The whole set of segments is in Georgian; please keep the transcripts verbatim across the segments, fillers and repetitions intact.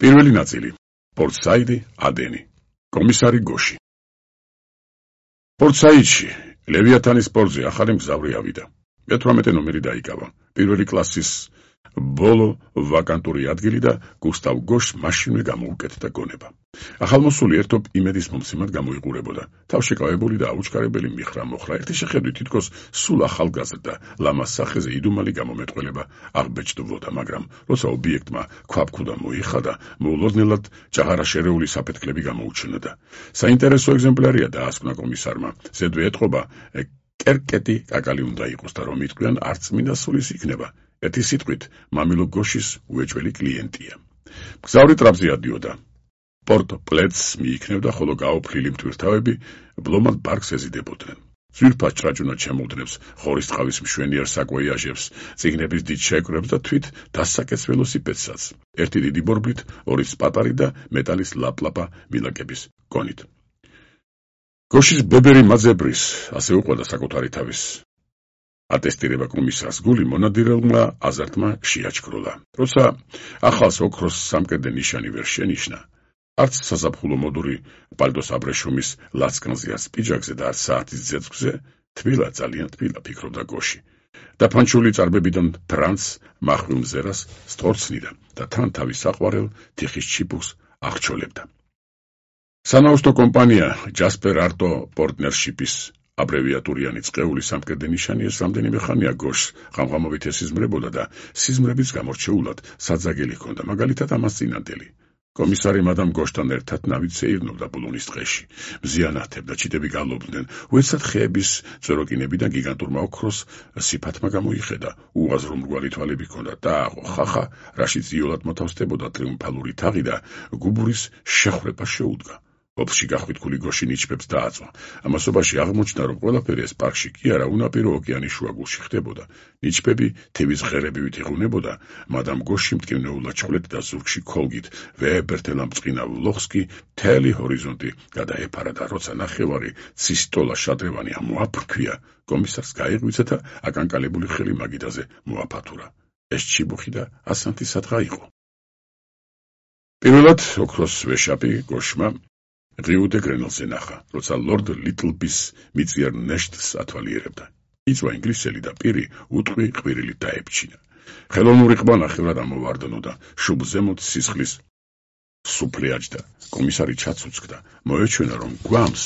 პირველი ნაწილი. პორტსაიდი, ადენი. კომისარი გოში. პორტსაიდში ლევიათანის პორტზე ახალი მგზავრი ავიდა. მეთვრამეტე ნომერი დაიკავა. პირველი კლასის ბოლო ვაკანტური ადგილი და გუსტავ გოშს მაშინვე გამოუკეთდა გონება. ახალმოსული ერთობ იმედის მომცემად გამოიყურებოდა. თავშეკავებული და აუჩქარებელი მიხრა მოხრა ერთი შეხედვით თითქოს სულ ახალგაზრდა ლამას სახეზე იდუმალი გამომეტყველება აღბეჭდვოდა, მაგრამ როცა ობიექტმა ქვაბქუდა მოიხადა, მოულოდნელად ჭაღარაშერეული საფეთქლები გამოუჩნდა. საინტერესო ეგზემპლარია დაასკვნა კომისარმა. ზედვე ეთყობა კერკეტი კაკალი უნდა იყოს და რომ იტყვიან არც მინდა სულის იქნება. ერთი სიტყვით მამილო გოშის უეჭველი კლიენტია. მგზავრი ტრაპზე ადიოდა. პორტ პლეცს მიიქნევდა, ხოლო გაოფლილი მტვირთავები ბლომად პარკს ეზიდებოდნენ. ძვირფას ჭრაჭუნად შემოუდნებს ხორის ტყავის მშვენიერ საკვეიაჟებს, წიგნების დიდ შეკრებს და თვით დასაკეთს ველოსიპედსაც. ერთი დიდი ბორბლით, ორი სპატარი და მეტალის ლაპლაპა მილაკების კონით. გოშის ბებერი მაძებრის, ასე უყვება საკუთარი თავის ატესტირება კომისარს გული მონადირელმა აზარტმა შეაჩქროლა. როცა ახალს ოქროს სამკერდე ნიშანი ვერ შენიშნა, არც საზაფხულო მოდური პალტოს აბრეშუმის ლაცკნზე არც პიჯაკზე და არც საათის ძეძვზე, თბილა, ძალიან თბილა, ფიქრობდა გოში. და ფანჩული წარბებიდან ფრანც მახვილ მზერას სწორცნიდა და თან თავის საყვარელ თიხის ჩიბუხს აღჩოლებდა. სანაოსნო კომპანია ჯასპერ არტო პორტნერშიპის აბრევიატურიანი წყეული სამკერდე ნიშანი ეს რამდენიმე ხანია გოშს ღამღამობით ესიზმრებოდა და სიზმრების გამორჩეულად საძაგელი ჰქონდა, მაგალითად ამას წინანდელი. კომისარი მადამ გოშთან ერთად ნავით სეირნობდა ბულონის ტყეში. მზიანათებდა, ჩიტები გალობდნენ, უეცად ხეების წოროკინებიდან გიგანტურმა ოქროს სიფათმა გამოიხედა. უაზრო მრგვალი თვალები ჰქონდა და აყო ხახა, რაშიც იოლად მოთავსდებოდა ტრიუმფალური თაღი და გუბურის შეხვრება შეუდგა. ოფში გახვიტკული გოში ნიჩბებს დააწვა. ამასობაში აღმოჩნდა, რომ ყველაფერი ეს პარკში კი არა, უნაპირო ოკეანის შუაგულში ხდებოდა. ნიჩბები თევის ღერებივით იღუნებოდა, მადამ გოში მტკივნეულად ჩხვლეთ და ზურგში ქოლგით ვეებერთელა მწყინავ ლოხს კი მთელი ჰორიზონტი გადაეფარა და როცა ნახევარი ცისტოლა შადრევანი ამოაფრქვია, კომისარს გაიღვიძა და აკანკალებული ხელი მაგიდაზე მოაფათურა. ეს ჩიბუხი და ასანთი სადღა იყო. პირველად ოქროს ვეშაპი გოშმა ღიუდე გრენელზე ნახა, როცა ლორდ ლიტლბის მიწიერ ნეშტს ათვალიერებდა. იწვა ინგლისელი და პირი უტყვი ყვირილით დაებჩინა. ხელოვნური ყბა ნახევრად ამოვარდნოდა, შუბ ზემოთ სისხლის სუფლი აჯდა. კომისარი ჩაცუცქდა, მოეჩვენა, რომ გვამს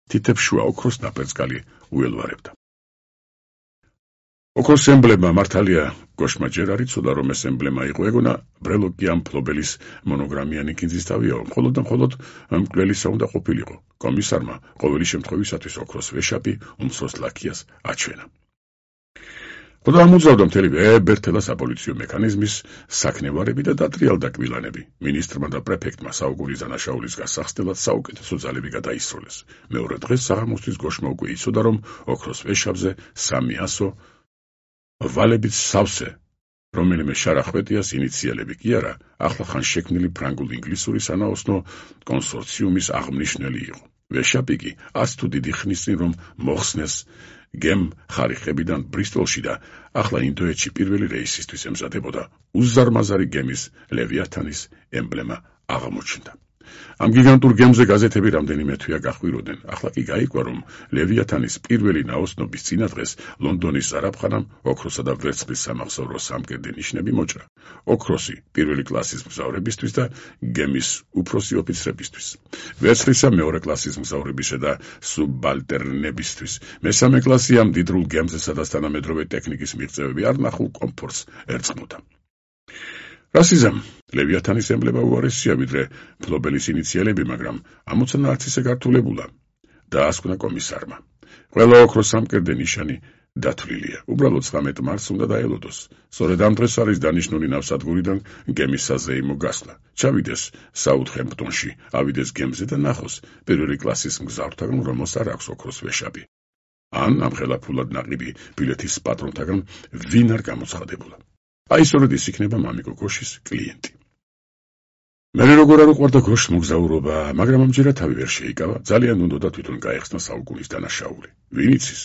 თითებს შუა ოქროს ნაპერწკალი უელვარებდა. ოქროს ემბლემა მართალია გოშმა ჯერ არ იცოდა, რომ ეს ემბლემა იყო, ეგონა ბრელოკიან მფლობელის მონოგრამიანი კინძის თავია, მხოლოდ და მხოლოდ მკვლელისა უნდა ყოფილიყო. კომისარმა ყოველი შემთხვევისათვის ოქროს ვეშაპი უმცროს ლაქიას აჩვენა. ხოდა ამოძრავდა მთელი ვეებერთელა საპოლიციო მექანიზმის საქნევარები და დატრიალდა კვილანები. მინისტრმა და პრეფექტმა საუკუნის დანაშაულის გასახსნელად საუკეთესო ძალები გადაისროლეს. მეორე დღეს საღამოსთვის გოშმა უკვე იცოდა, რომ ოქროს ვეშაპზე სამი ასო ვალებით სავსე, რომელიმე შარახვეტიას ინიციალები კი არა, ახლახან შექმნილი ფრანგულ-ინგლისური სანაოსნო კონსორციუმის აღმნიშვნელი იყო. ვეშაპი კი არც თუ დიდი ხნის წინ რომ მოხსნეს გემ ხარიხებიდან ბრისტოლში და ახლა ინდოეთში პირველი რეისისთვის ემზადებოდა, უზარმაზარი გემის ლევიათანის ემბლემა აღმოჩნდა. ამ გიგანტურ გემზე გაზეთები რამდენიმე თვეა გახვიროდნენ. ახლა კი გაიგვა, რომ ლევიათანის პირველი ნაოსნობის წინადღეს ლონდონის ზარაფხანამ ოქროსა და ვერცხლის სამახსოვრო სამკერდე ნიშნები მოჭრა. ოქროსი პირველი კლასის მგზავრებისთვის და გემის უფროსი ოფიცრებისთვის. ვერცხლისა მეორე კლასის მგზავრებისა და სუბალტერნებისთვის. მესამე კლასი ამ დიდრულ გემზე, სადაც თანამედროვე ტექნიკის მიღწევები არ ნახულ კომფორტს ერწყმოდა. რასიზამ ლევიათანის ემბლემა უარესია, ვიდრე მფლობელის ინიციალები, მაგრამ ამოცანა არც ისე გართულებულა. დაასკვნა კომისარმა. ყველა ოქროს სამკერდე ნიშანი დათვლილია. უბრალოდ ცხრამეტ მარტს უნდა დაელოდოს. სწორედ ამ დღეს არის დანიშნული ნავსადგურიდან გემის საზეიმო გასვლა. ჩავიდეს საუთჰემპტონში, ავიდეს გემზე და ნახოს პირველი კლასის მგზავრთაგან, რომელს არ აქვს ოქროს ვეშაპი. ან ამხელა ფულად ნაყიდი ბილეთის პატრონთაგან ვინ არ გამოცხადებულა. აი სწორედ ის იქნება მამიკო გოშის კლიენტი. მერე როგორ არ უყვარდა გოშს მოგზაურობა, მაგრამ ამჯერად თავი ვერ შეიკავა, ძალიან უნდოდა თვითონ გაეხსნა საუკუნის დანაშაული. ვინ იცის?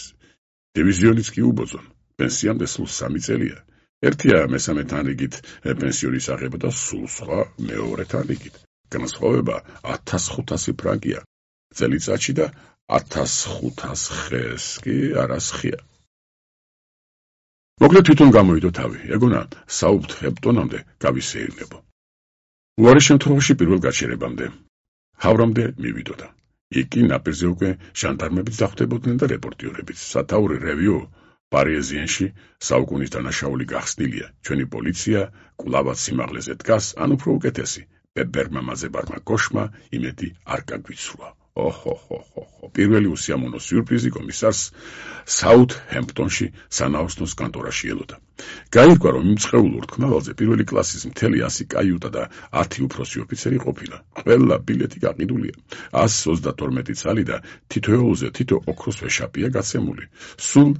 დივიზიონიც კი უბოძონ, პენსიამდე სულ სამი წელია. ერთია მესამეთან რიგით პენსიონის აღება და სულ სხვა მეორეთან რიგით. განსხვავება ათას ხუთასი ფრანკია წელიწადში და ათას ხუთას ხეს კი არასხია. მოკლედ თვითონ გამოვიდო თავი, ეგონა საუთჰემპტონამდე გავისეირნებო. უარი შემთხვევაში პირველ გაჩერებამდე ჰავრამდე მივიდოდა. იქ კი ნაპირზე უკვე ჟანდარმებიც დახვდებოდნენ და რეპორტიორებიც. სათაური რევიუ პარიზიენში საუკუნის დანაშაული გახსნილია. ჩვენი პოლიცია კვლავაც სიმაღლეზე დგას, ან უფრო უკეთესი, ბებერმა მაზებარმა გოშმა იმედი არ გაგვიცრუა. ოჰოჰოჰო, პირველი უსიამოვნო სიურპრიზი კომისარს საუთჰემპტონში სანაოსნოს კანტორაში ელოდა. გაირკვა, რომ იმ წყეულ ურთქმავალზე პირველი კლასის მთელი ასი კაიუტა და ათი უფროსი ოფიცერი ყოფილა. ყველა ბილეთი გაყიდულია. ას ოცდათორმეტი ცალი და თითოეულზე თითო ოქროს ვეშაპია გაცემული. სულ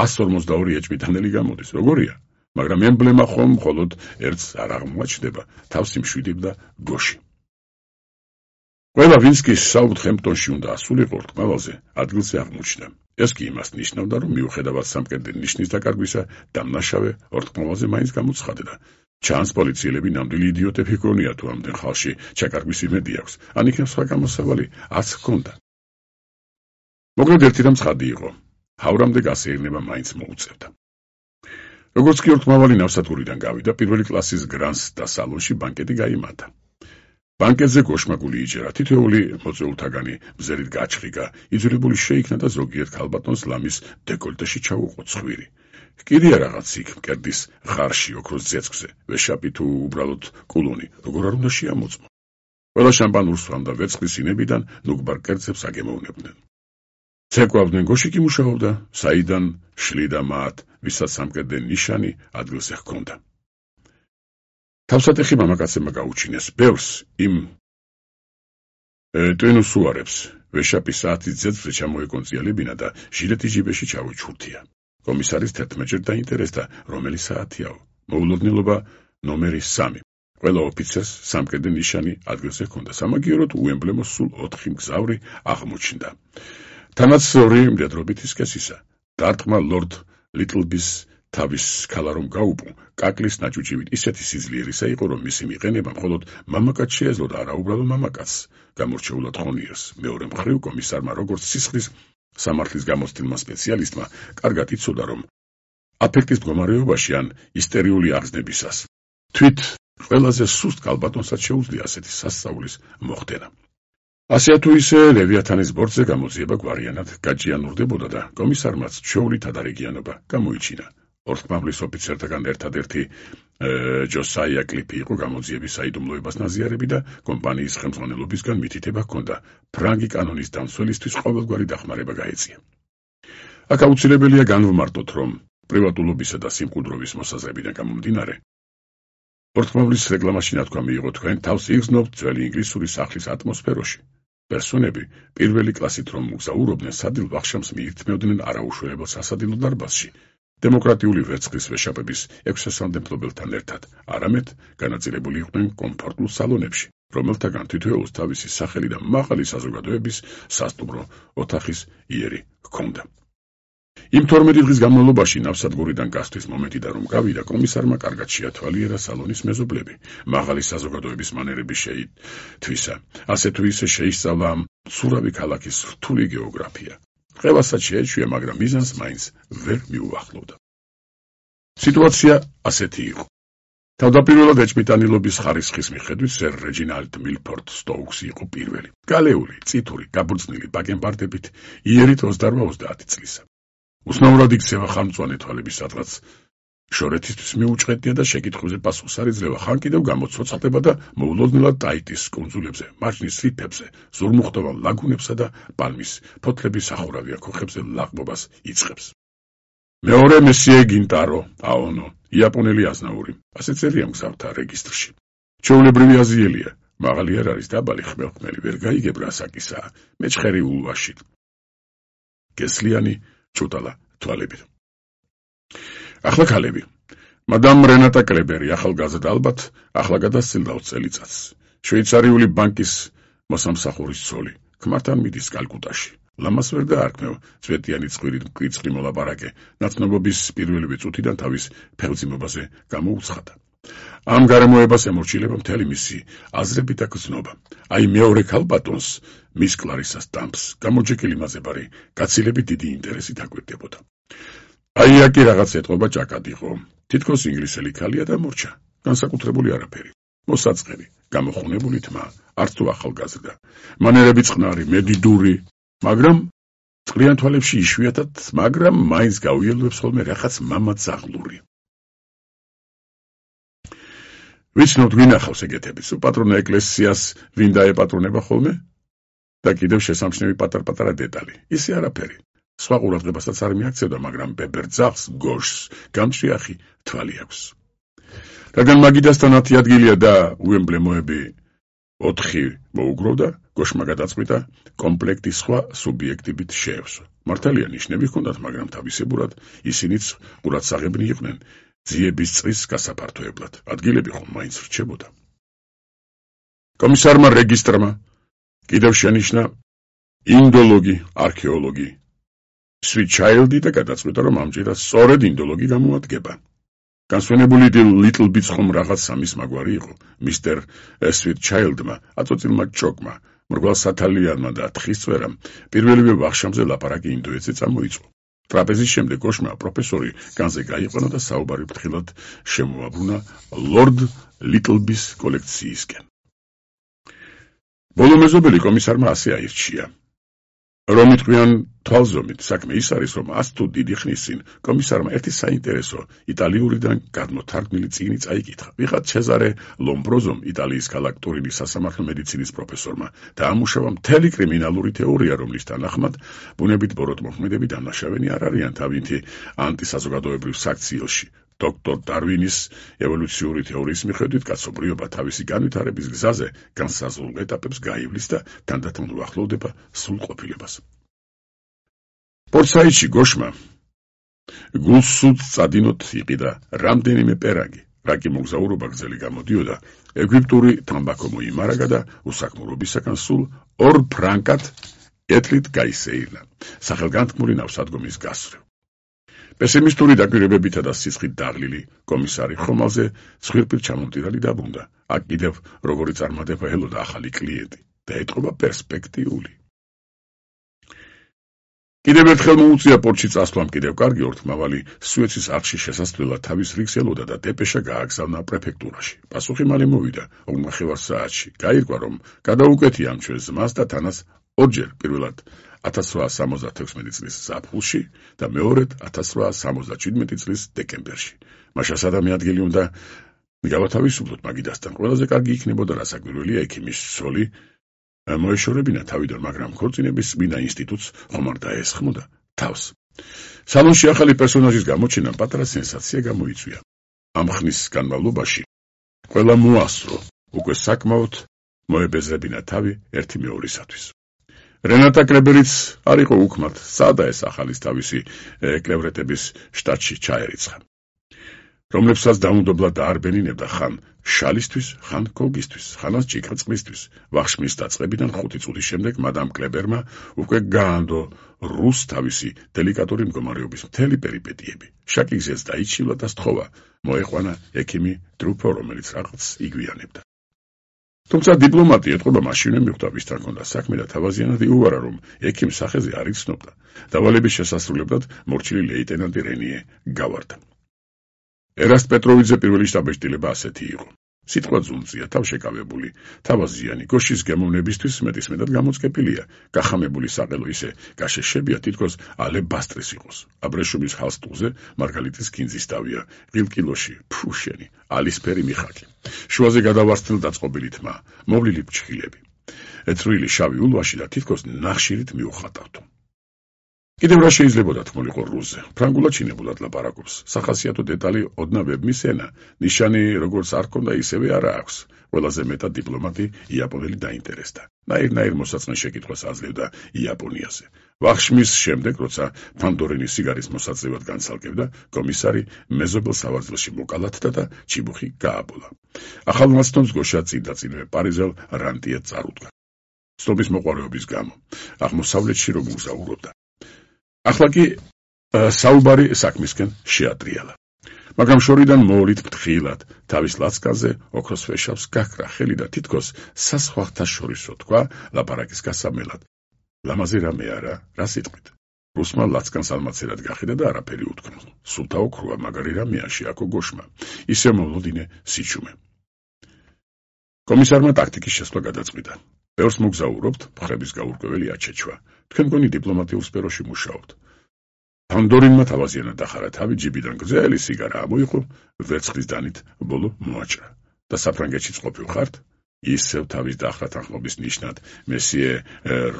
ას ორმოცდაორი ეჭვმიტანელი გამოდის. როგორია? მაგრამ ემბლემა ხომ მხოლოდ ერთს არ აღმოაჩნდება, თავს იმშვიდობდა გოში. ყველა ვინც კი საუთჰემპტონში უნდა ასულიყო ურთქმავალზე, ადგილზე აღმოჩნდა. ეს კი იმას ნიშნავდა, რომ მიუხედავად სამკერდე ნიშნის დაკარგვისა, დამნაშავე ურთქმავალზე მაინც გამოცხადდა. ჩანს პოლიციელები ნამდვილი იდიოტები ჰქონია თუ ამდენ ხალხში ჩაკარგვის იმედი აქვს, ან იქნებ სხვა გამოსავალი აც ჰქონდა. მოკლედ ერთი რამ ცხადი იყო, ჰავრამდე გასეირნება მაინც მოუწევდა. როგორც კი ურთქმავალი ნავსადგურიდან გავიდა, პირველი კლასის გრანს და სალონში ბანკეტი გაიმართა. ბანკეტზე გოშმაგული იჯერა, თითოეული მოწვეულთაგანი მზერით გაჩხიგა, იძულებული შეიქნა და ზოგიერთ ქალბატონს ლამის დეკოლტეში ჩაუყო ცხვირი. კიდია რაღაც იქ მკერდის ღარში ოქროს ძეცქვზე, ვეშაპი თუ უბრალოდ კულონი, როგორ არ უნდა შეამოწმო. ყველა შამპანურს სვამდა ვერცხლის ინებიდან ნუგბარ კერძებს აგემოვნებდნენ. ცეკვავდნენ გოში კი მუშაობდა, საიდან შლიდა მათ, ვისაც სამკერდე ნიშანი ადგილზე ჰქონდა. თავსატეხი მამაკაცებმა გაუჩინეს ბევრს იმ ტვინუს უარებს, ვეშაპი საათის ძეცვზე ჩამოეკონწიალებინა და ჟილეტი ჯიბეში ჩაუჩურთია. კომისარის თერთმეტჯერ დაინტერესდა, რომელი საათიაო. მოულოდნელობა ნომერი სამი. ყველა ოფიცერს სამკერდე ნიშანი ადგილზე ჰქონდა. სამაგიეროდ უემბლემო სულ ოთხი მგზავრი აღმოჩნდა. თანაც ორი მდედრობითი სქესისა. დარტყმა ლორდ ლიტლბის თავის ქალა რომ გაუპო, კაკლის ნაჭუჭივით ისეთი სიძლიერისა იყო, რომ მისი მიყენება მხოლოდ მამაკაც შეეძლო და არა უბრალო მამაკაცს, გამორჩეულად ხონიერს. მეორე მხრივ კომისარმა როგორც სისხლის სამართლის გამოცდილმა სპეციალისტმა კარგად იცოდა, რომ აფექტის მდგომარეობაში ან ისტერიული აღზნებისას თვით ყველაზე სუსტ ქალბატონსაც შეუძლია ასეთი სასწაულის მოხდენა. ასეა თუ ისე ლევიათანის ბორცზე გამოძიება გვარიანად გაჭიანურდებოდა და კომისარმაც ჩვეული თადარიგიანობა გამოიჩინა. ურთქმავლის ოფიცერთაგან ერთადერთი ჯოსაია კლიპი იყო გამოძიების საიდუმლოებას ნაზიარები და კომპანიის ხელმძღვანელობისგან მითითება ჰქონდა, ფრანგი კანონის დამცველისთვის ყოველგვარი დახმარება გაეწია. აქ აუცილებელია განვმარტოთ, რომ პრივატულობისა და სიმყუდროვის მოსაზრებიდან გამომდინარე, ურთქმავლის რეკლამაში ნათქვა მიიღო თქვენ თავს იგრძნობთ ძველი ინგლისური სახლის ატმოსფეროში. პერსონები პირველი კლასით რომ მოგზაურობდნენ სადილ ვახშამს მიირთმევდნენ არაუშველებელ სასადილო დარბაზში, დემოკრატიული ვერცხლის ვეშაპების ექვსასამდე მფლობელთან ერთად, არამედ განაწილებული იყვნენ კომფორტულ სალონებში, რომელთაგან თითოეულს თავისი სახელი და მაღალი საზოგადოების სასტუმრო ოთახის იერი ჰქონდა. იმ თორმეტი დღის განმავლობაში ნავსადგურიდან გასვლის მომენტიდან რომ გავიდა, კომისარმა კარგად შეათვალიერა სალონის მეზობლები, მაღალი საზოგადოების მანერები შეითვისა, ასე თუ ისე შეისწავლა მცურავი ქალაქის რთული გეოგრაფია. ყველასაც შეეჩვია, მაგრამ მიზანს მაინც ვერ მიუახლოვდა. სიტუაცია ასეთი იყო. თავდაპირველად ეჭვმიტანილობის ხარისხის მიხედვით სერ რეჯინალდ მილფორდ სტოუქსი იყო პირველი. გალეული, წითური, გაბრძნილი ბაკენბარდებით, იერით ოცდაოთხ-ოცდაათი წლისა. უსნაურად იქცევა ხანმწვანე თვალების სადღაც შორეთისთვის მიუჭყეტია და შეკითხვებზე პასუხს არ იძლევა, ხან კიდევ გამოცოცხლდება და მოულოდნელად ტაიტის კუნძულებზე, მარჯნის რიფებზე, ზურმუხტოვან ლაგუნებსა და პალმის ფოთლების სახურავია ქოხებზე ლაღბობას იწყებს. მეორე მესიე გინტარო აონო, იაპონელი აზნაური, ასე წერია მგზავრთა რეგისტრში. ჩვეულებრივი აზიელია, მაღალი არ არის, დაბალი ხმელხმელი, ვერ გაიგებრა საკისაა, მეჩხერი ულვაში. გესლიანი ჭუტალა თვალებით. ახლა ქალები. მადამ რენატა კლებერი, ახალგაზრდა ალბათ, ახლა გადასცილდა ოცი წელიწადს. შვეიცარიული ბანკის მოსამსახურის ცოლი, ქმართან მიდის კალკუტაში. ლამას ვერ დაარქმევ, წვეტიანი ცხვირით მკვიდრი მოლაპარაკე, ნაცნობობის პირველივე წუთიდან თავის ფეხმძიმობაზე გამოუცხადა. ამ გარემოებას ემორჩილება მთელი მისი აზრები და გზნობა. აი მეორე ქალბატონს, მის კლარისას დამს, გამოჯეკილი მაზებარი, გაცილებით დიდი ინტერესით აკვირდებოდა. აი აკი რაღაც ეთყობა ჭაკად იყო. თითქოს ინგლისელი ქალია და მორჩა, განსაკუთრებული არაფერი. მოსაწყენი, გამოხუნებული თმა, არც თუ ახალგაზრდა. მანერები წყნარი, მედიდური, მაგრამ წყლიან თვალებში იშვიათად, მაგრამ მაინც გავიელვებს ხოლმე რაღაც მამაც აღლური. ვიცნობთ გვინახავს ეგეთების, უპატრონო ეკლესიას ვინ დაეპატრონება ხოლმე? და კიდევ შესამჩნევი პატარ-პატარა დეტალი. ისე არაფერი. სხვა ყურადღებასაც არ მიაქცევდა, მაგრამ ბებერძახს, გოშს, გამჭრიახი თვალი აქვს. რადგან მაგიდასთან ათი ადგილია და უემბლემოები ოთხი მოუგროვდა, გოშმა გადაწყვიტა კომპლექტი სხვა სუბიექტივით შეევსო. მართალია ნიშნები ჰქონდათ, მაგრამ თავისებურად ისინიც ყურადსაღებნი იყვნენ ძიების წყლის გასაფართოებლად. ადგილები ხომ მაინც რჩებოდა. კომისარმა რეგისტრმა კიდევ შენიშნა ინდოლოგი, არქეოლოგი, სვიტჩაილდი და გადაწყვიტა, რომ ამჯერად სწორედ ინდოლოგი გამოადგება. განსვენებული ლიტლ ბიტს ხომ რაღაც სამის მაგვარი იყო. მისტერ სვიტჩაილდმა, აწოცილმა ჭოკმა, მრგვალ სათალიანმა და თხისწვერამ პირველივე ვახშამზე ლაპარაკი ინდოეთზე წამოიწყო. ტრაპეზის შემდეგ გოშმა პროფესორი განზე გაიყვანა და საუბარი ფრთხილად შემოაბრუნა ლორდ ლიტლბის კოლექციისკენ. ბოლო მეზობელი კომისარმა ასე აირჩია. რომ იტყვიან თვალზომით, საქმე ის არის, რომ ას თუ დიდი ხნის წინ კომისარმა ერთი საინტერესო იტალიურიდან გადმოთარგმნილი წიგნი წაიკითხა. ვიღაც ჩეზარე ლომბროზომ, იტალიის ქალაქ ტურინის სასამართლო მედიცინის პროფესორმა, დაამუშავა მთელი კრიმინალური თეორია, რომლის თანახმად ბუნებით ბოროტმოქმედები დამნაშავენი არ არიან თავინთი ანტისაზოგადოებრივ საქციელში. დოქტორ დარვინის ევოლუციური თეორიის მიხედვით კაცობრიობა თავისი განვითარების გზაზე განსაზღვრულ ეტაპებს გაივლის და თანდათან უახლოვდება სრულყოფილებას. პორტსაიდში გოშმა გულსუთ წადინოთ იყიდა რამდენიმე პერაგი, რაკი მოგზაურობა გრძელი გამოდიოდა, ეგვიპტური თამბაქო მოიმარაგა და უსაქმურობისაგან სულ ორ ფრანკად ეტლით გაისეირნა, სახელგანთქმული ნავსადგომის გასწვრივ. პესიმისტური დაკვირვებებითა და სისხლით დაღლილი კომისარი ხომალზე ცხვირპირ ჩამომტირალი დაბრუნდა. აქ კიდევ როგორი წარმატება ელოდა ახალი კლიენტი და ეტყობა პერსპექტიული. კიდევ ერთხელ მოუწია პორტში წასვლამ კიდევ კარგი ორთმავალი სუეცის არხში შესასვლელად თავის რიგს ელოდა და დეპეშა გააგზავნა პრეფექტურაში. პასუხი მალე მოვიდა ორმახევარ საათში. გაირკვა, რომ გადაუკეთია ამ ჩვენს ზმას და თანას ორჯერ, პირველად ათას რვაას სამოცდათექვსმეტი წლის ზაფხულში და მეორედ ათას რვაას სამოცდაჩვიდმეტი წლის დეკემბერში. მაშას ადამი ადგილი უნდა გავათავისუფლოთ მაგიდასთან. ყველაზე კარგი იქნებოდა, რა საკვირველია ექიმის ცოლი მოეშორებინა თავიდან, მაგრამ ქორწინების წმინდა ინსტიტუტს ხომ არ დაესხმოდა თავს. სალონში ახალი პერსონაჟის გამოჩენამ პატარა სენსაცია გამოიწვია. ამ ხნის განმავლობაში ყველა მოასწრო, უკვე საკმაოდ მოებეზრებინა თავი ერთი მეორისათვის. რენატა კლებერიც არ იყო უქმად, სადა ეს ახალის თავისი კლევრეტების შტატში ჩაერიცხა, რომლებსაც დაუნდობლად დაარბენინებდა ხან შალისთვის, ხან კოგისთვის, ხანაც ჭიქრწყლისთვის. ვახშმის დაწყებიდან ხუთი წუთის შემდეგ მადამ კლებერმა უკვე გაანდო რუს თავისი დელიკატური მდგომარეობის მთელი პერიპეტიები. შაკიგზეც დაიჩილა და სთხოვა, მოეყვანა ექიმი დრუფო, რომელიც რაღაც იგვიანებდა. თუმცა დიპლომატი ეთყობა მაშინვე მიხვდა, ვისთან ჰქონდა საქმე და თავაზიანად იუვარა, რომ ექიმ სახეზე არ იცნობდა. დავალების შესასრულებლად მორჩილი ლეიტენანტი რენიე გავარდა. ერასტ პეტროვიძე პირველი შტაბ-ეჭდილება ასეთი იყო. სიტყვა ძუნწია, თავშეკავებული, თავაზიანი, გოშის გემოვნებისთვის მეტისმეტად გამოწყებილია, გახამებული საყელო ისე გაშეშებია, თითქოს ალებასტრის იყოს. აბრეშუმის ჰალსტუზე მარგალიტის კინძის თავია, ღილკილოში, ფუშენი, ალისფერი მიხაკი. შუაზე გადავარსთილ დაწყობილი თმა, მოვლილი ფრჩხილები. ეწრვილი შავი ულვაში და თითქოს ნახშირით მიუხატავთო. კიდევ რა შეიძლებოდა თქმულიყო რუსზე. ფრანგულად ჩინებულად ლაპარაკობს. სახასიათო დეტალი ოდნავ მისენა, ნიშანი როგორც არ ქონდა, ისევე არა აქვს. ყველაზე მეტად დიპლომატი იაპონელი დაინტერესდა. ნაირ-ნაირ მოსაწყენ შეკითხვას აძლევდა იაპონიაზე. ვახშმის შემდეგ, როცა ფანდორინის სიგარის მოსაწევად განცალკევდა, კომისარი მეზობელ სავარძელში მოკალათდა და ჩიბუხი გააბოლა. ახალ მასტონს გოშა წინ და წინვე პარიზელ რანტიე წარუდგა. ცნობის მოყვარეობის გამო, აღმოსავლეთში რომ მოგზაურობდა. ახლა კი საუბარი საქმისკენ შეატრიალა. მაგრამ შორიდან მოოლით ფრთხილად, თავის ლაცკაზე ოქროს ვეშავს გაქრა ხელი და თითქოს სასხვახთა შორისო თქვა ლაპარაკის გასამელად. ლამაზი რამე არა, რა სიტყვით? რუსმა ლაცკანს ალმაცერად გახედა და არაფერი უთქმა. სულთა ოქროა, მაგარი რამეა შეაქო გოშმა. ისე მოვლოდინე სიჩუმე. კომისარმა ტაქტიკის შესვლა გადაწყვიტა. ბევრს მოგზაურობთ, მხრების გაურკვეველი აჩეჩვა. თქვენ გონი დიპლომატიურ სფეროში მუშაობთ. ფანდორინმა თავაზიანად დახარა თავი, ჯიბიდან გრძელი სიგარა ამოიღო, ვერცხლის დანით ბოლო მოაჭრა. და საფრანგეთშიც ყოფილ ხართ? ისევ თავის დახრა თანხმობის ნიშნად მესიე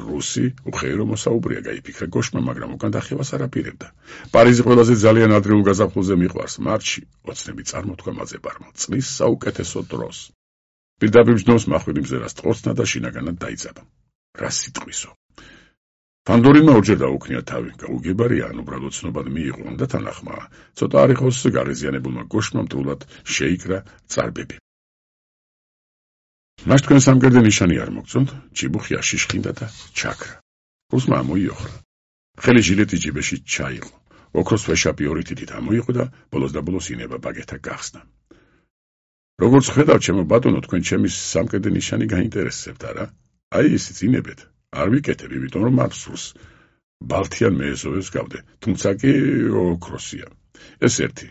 რუსი უხეირო მოსაუბრია, გაიფიქრა გოშმა, მაგრამ უკან დახევას არ აპირებდა. პარიზი ყველაზე ძალიან ადრეულ გაზაფხულზე მიყვარს, მარტში ოცნები წარმოთქვა მაძებარმა, წლის საუკეთესო დროს. პირდაპირ ჯნოს მახვილი მზერას ტყორცნა და შინაგანად დაიძაბა. რა სიტყვისო? ფანდორინმა ორჯერ დაუქნია თავი, გაუგებარია, ან უბრალოდ ცნობად მიიღო, და თანახმაა. ცოტა არ იყოს გარეზიანებულმა გოშმა მტრულად შეიკრა წარბები. მას თქვენ სამკერდე ნიშანი არ მოგწონთ? ჭიბუხი აშიშხინდა და ჩაქრა. რუსმა ამოიოხრა. ხელი ჟილეტი ჯიბეში ჩაიღო. ოქროს ვეშაპი ორი თითით ამოიღო და ბოლოს და ბოლოს ინება ბაგეთა გახსნა. როგორც ხედავ, ჩემო ბატონო, თქვენ ჩემი სამკერდე ნიშანი გაინტერესებთ, არა? აი ისიც ინებეთ. არ ვიკეთებ, იმიტომ რომ არ სურს. ბალთიან მეეზოვებს გავდე, თუმცა კი ოქროსია. ეს ერთი.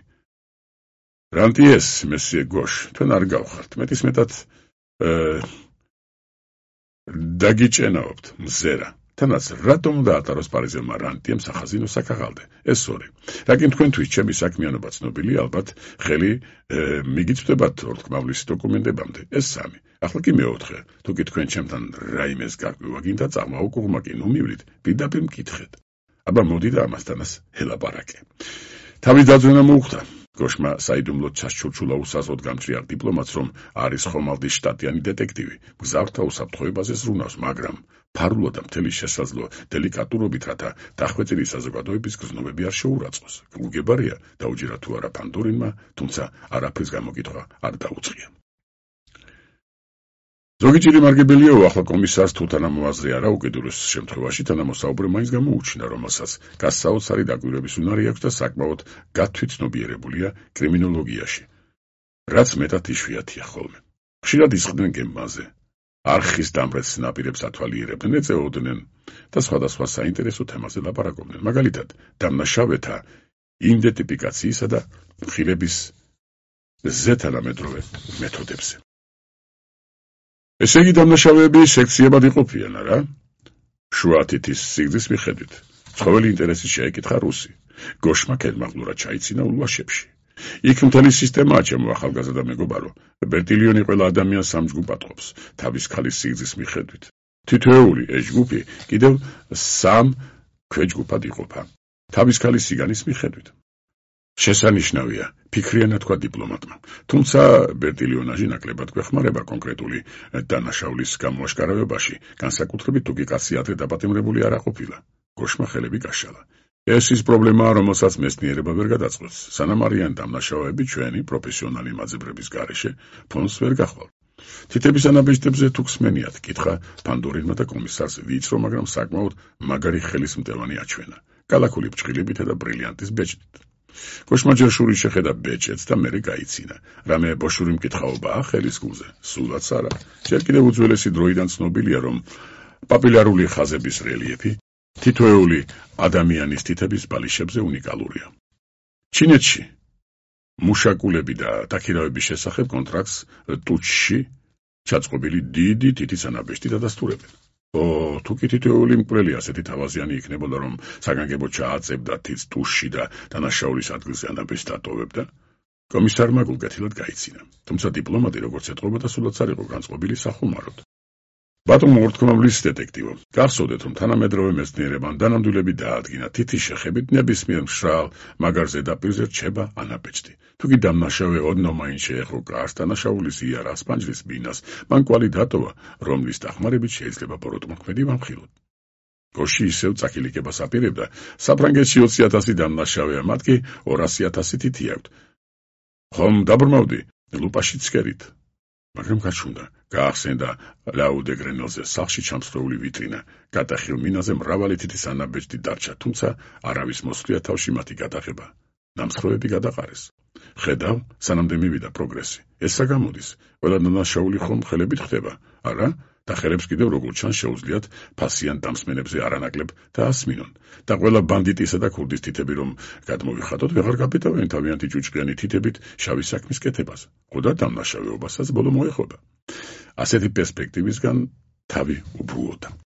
რანტიეს, მესიე გოშ, თქვენ არ გავხართ. მეტის მეტად დაგიჭენაობთ, მზერა. თანაც რატომ უნდა ატაროს პარიზელმა რანტიემ სახაზინო საქაღალდე? ეს ორი. რაკინ თქვენთვის ჩემი საქმიანობა ცნობილია, ალბათ ხელი მიგიწვდებათ ორთქმავლის დოკუმენტებამდე. ეს სამი. ახლა კი მეოთხე. თუ კი თქვენ ჩემთან რაიმეს გარკვევა გინდა წამოუკუღმა კი ნუ მივლით, პირდაპირ მკითხეთ. აბა მოდი და ამასთანაც ელაპარაკე. თავის დაძვენა მოუხდა. გოშმა საიდუმლოდ ჩასჩურჩულა უსაზღოდ გამჭრიარ დიპლომატს, რომ არის ხომალდის შტატიანი დეტექტივი, მგზავრთა უსაფრთხოებაზე ზრუნავს, მაგრამ ფარულო და მთელი შესაძლო დელიკატურობით, რათა დახვეწილი საზოგადოების გზნობები არ შეურაცხოს. გუგებარია, დაუჯერა თუ არა ფანდორინმა, თუმცა არაფრის გამოკითხვა არ დაუწყია. ზოგი ჭირი მარგებელიაო, ახლა კომისარს თუ თანამოაზრე არა, უკიდურეს შემთხვევაში თანამოსაუბრე მაინც გამოუჩინა, რომელსაც გასაოცარი დაკვირვების უნარი აქვს და საკმაოდ გათვითცნობიერებულია კრიმინოლოგიაში. რაც მეტად იშვიათია ხოლმე. ხშირად ისხდნენ გემბაზე. არხის დამრეც ნაპირებს ათვალიერებდნენ, ეწეოდნენ და სხვადასხვა საინტერესო თემაზე ლაპარაკობდნენ. მაგალითად, დამნაშავეთა იდენტიფიკაციისა და ხილების ზეთანამედროვე მეთოდებზე. ესე იგი დამნაშავეები სექციებად იყოფიან, არა? შუა თითის სიგრძის მიხედვით. ცხოველი ინტერესის შეეკითხა რუსი. გოშმა ქედმაღლურად ჩაიცინა ულვაშებში. იქ მთელი სისტემაა, ჩემო ახალგაზრდა მეგობარო. ბერტილიონი ყველა ადამიანს სამ ჯგუფად ყოფს, თავის ქალის სიგრძის მიხედვით. თითოეული ეს ჯგუფი კიდევ სამ ქვეჯგუფად იყოფა, თავის ქალის სიგანის მიხედვით. შესანიშნავია, ფიქრიანად თქვა დიპლომატმა. თუმცა ბერტილიონაჟი ნაკლებად გვეხმარება კონკრეტული დანაშაულის გამოაშკარავებაში, განსაკუთრებით თუ კი კაცი ადრე დაპატიმრებული არ ყოფილა. გოშმა ხელები გაშალა. ეს ის პრობლემაა, რომელსაც მეცნიერება ვერ გადაწყვეტს. სანამ არიან დამნაშავეები, ჩვენი პროფესიონალი მაძებრების გარეშე ფონს ვერ გახვალთ. თითების ანაბეჭდებზე თუ ხსმენიათ, კითხა ფანდორინმა და კომისარს ვიწრო, მაგრამ საკმაოდ მაგარი ხელისმტევანი აჩვენა. კალაკული ბრჭყილებითა და ბრილიანტის ბეჭდით. გოშმა ჯერ შურით შეხედა ბეჭედს და მერე გაიცინა. რამე ბოშური მკითხაობაა ხელის გულზე? სულაც არა. ჯერ კიდევ უძველესი დროიდან ცნობილია, რომ პაპილარული ხაზების რელიეფი თითოეული ადამიანის თითების ბალიშებზე უნიკალურია. ჩინეთში მუშაკულები და დაქირავების შესახებ კონტრაქტს ტუჩში ჩაწყობილი დიდი თითის ანაბეჭდი დადასტურებენ. ო, თუ კი თითოეული მკვლელი ასეთი თავაზიანი იქნებოდა, რომ საგანგებო ჩააწებდა თითს ტუჩში და დანაშაულის ადგილზე ანაბეჭდს დატოვებდა, კომისარმა გულგეთილად გაიცინა. თუმცა დიპლომატი როგორც ეთყობოდა, სულაც არ იყო განწყობილი სახუმაროდ. ბატონო ორთქმავლის დეტექტივო, გახსოვდეთ, რომ თანამედროვე მეცნიერებამ დანამდვილები დაადგინა თითის შეხებით ნებისმიერ მშრალ მაგარ ზედაპირზე რჩება ანაბეჭდი. თუ კი დამნაშავე ოდნავ მაინც შეეხო კარს, დანაშაულის იარაღს, პანჯრის ბინას, მან კვალი დატოვა, რომლის დახმარებით შეიძლება ბოროტმოქმედი ვამხილოთ. გოში ისევ წაკილიკებას აპირებდა, საფრანგეთში ოცი ათასი დამნაშავეა, მათ კი ორასი ათასი თითი აქვთ. ხომ დაბრმავდი, ლუპაში ცქერით. მაგრამ გაჩვენდა, გაახსენდა ლაუდე გრენელზე სახლში ჩამსხვრეული ვიტრინა. გადახილ მინაზე მრავალი თითის ანაბეჭდი დარჩა, თუმცა არავის მოსვლია თავში მათი გადაღება. ნამსხვრევები გადაყარეს. ხედავ, სანამდე მივიდა პროგრესი. ეს რა გამოდის? ყველა დანაშაული ხომ ხელებით ხდება, არა? და ხელებს კიდევ როგორ ჩანს შეუძლიათ ფასიან დამსმენებზე არანაკლებ დაასმინონ. და ყველა ბანდიტისა და ქურდის თითები რომ გადმოვიხადოთ, ვეღარ გაბედავენ თავიანთი ჭუჭყიანი თითებით შავი საქმის კეთებას. ხოდა დამნაშავეობასაც ბოლო მოეხვდა. ასეთი პერსპექტივისგან თავი უბრუოდა.